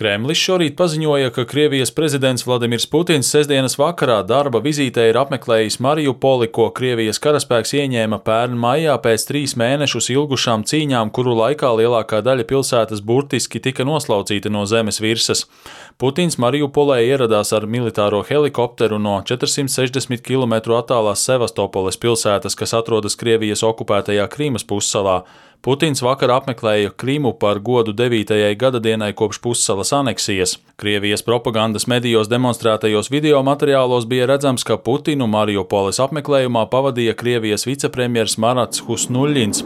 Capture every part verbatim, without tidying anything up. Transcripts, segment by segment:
Kremlis šorīt paziņoja, ka Krievijas prezidents Vladimirs Putins sestdienas vakarā darba vizītē ir apmeklējis Mariupoli, ko Krievijas karaspēks ieņēma pērn maijā pēc trīs mēnešus ilgušām cīņām, kuru laikā lielākā daļa pilsētas burtiski tika noslaucīta no zemes virsmas. Putins Mariupolē ieradās ar militāro helikopteru no četrsimt sešdesmit kilometru attālās Sevastopoles pilsētas, kas atrodas Krievijas okupētajā Krīmas pussalā. Putins vakar apmeklēja Krimu par godu devītajai gadadienai kopš pussalas aneksijas. Krievijas propagandas medijos demonstrētajos video materiālos bija redzams, ka Putinu Mariupoles apmeklējumā pavadīja Krievijas vicepremjers Marats Husnuļins.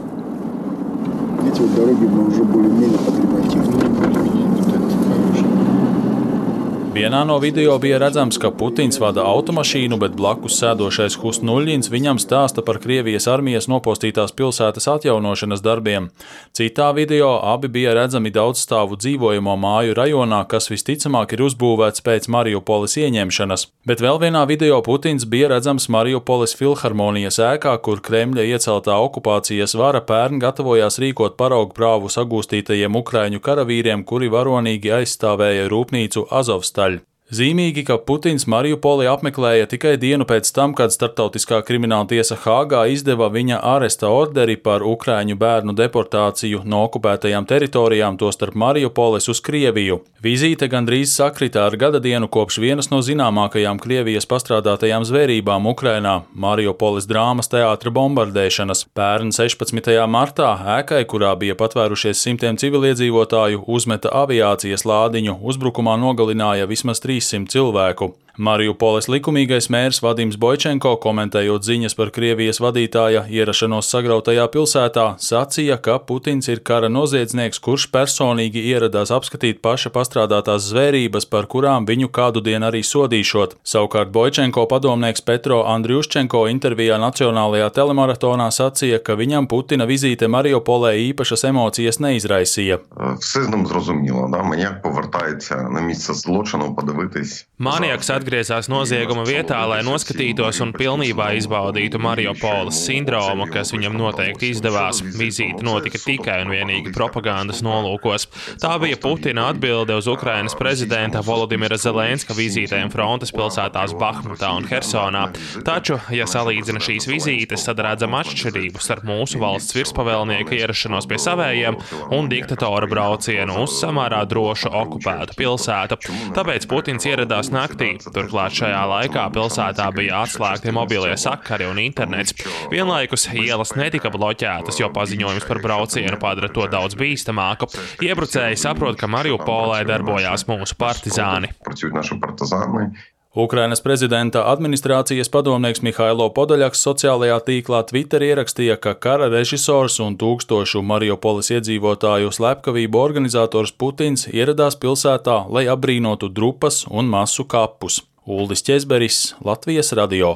Vienā no video bija redzams, ka Putins vada automašīnu, bet blakus sēdošais Husnuļins viņam stāsta par Krievijas armijas nopostītās pilsētas atjaunošanas darbiem. Citā video abi bija redzami daudzstāvu dzīvojamo māju rajonā, kas visticamāk ir uzbūvēts pēc Mariupoles ieņemšanas. Bet vēl vienā video Putins bija redzams Mariupoles filharmonijas ēkā, kur Kremļa ieceltā okupācijas vara pērn gatavojās rīkot paraugu prāvu sagūstītajiem ukraiņu karavīriem, kuri varonīgi aizstāvēja rūpnīcu Azovstal. Zīmīgi, ka Putins Mariupoli apmeklēja tikai dienu pēc tam, kad Starptautiskā krimināla tiesa Hāgā izdeva viņa āresta orderi par ukraiņu bērnu deportāciju no okupētajām teritorijām, tostarp Mariupoles uz Krieviju. Vizīte gandrīz sakrita ar gadadienu kopš vienas no zināmākajām Krievijas pastrādātajām zvērībām Ukrainā – Mariupoles drāmas teātra bombardēšanas. Pērn sešpadsmitajā martā ēkai, kurā bija patvērušies simtiem civiliedzīvotāju, uzmeta aviācijas lādiņu, uzbrukumā nogalināja vismaz trīssimt cilvēku. Mariupoles likumīgais mērs Vadims Boičenko, komentējot ziņas par Krievijas vadītāja ierašanos sagrautajā pilsētā, sacīja, ka Putins ir kara noziedznieks, kurš personīgi ieradās apskatīt paša pastrādātās zvērības, par kurām viņu kādu dienu arī sodīšot. Savukārt Boičenko padomnieks Petro Andriuščenko intervijā nacionālajā telemaratonā sacīja, ka viņam Putina vizīte Mariupolē īpašas emocijas neizraisīja. Maniaks atgriezās nozieguma vietā, lai noskatītos un pilnībā izbaudītu Mariupoles sindromu, kas viņam noteikti izdevās. Vizīte notika tikai un vienīgi propagandas nolūkos. Tā bija Putina atbilde uz Ukrainas prezidenta Volodimira Zelenska vizītēm frontes pilsētās Bahmutā un Hersonā. Taču, ja salīdzina šīs vizītes, tad redzam atšķirību starp mūsu valsts virspavēlnieka ierašanos pie savējiem un diktatora braucienu uz samērā drošu okupētu pilsētu. Tāpēc Putins ieradās naktī. Turklāt šajā laikā pilsētā bija atslēgti mobilie sakari un internets. Vienlaikus ielas netika bloķētas, jo paziņojums par braucienu padara to daudz bīstamāku. Iebrucēji saprot, ka Mariupolē darbojās mūsu partizāni. Ukrainas prezidenta administrācijas padomnieks Mihailo Podoļaks sociālajā tīklā Twitter ierakstīja, ka kara režisors un tūkstošu Mariupoles iedzīvotāju slepkavību organizators Putins ieradās pilsētā, lai apbrīnotu drupas un masu kapus. Uldis Ķezberis, Latvijas radio.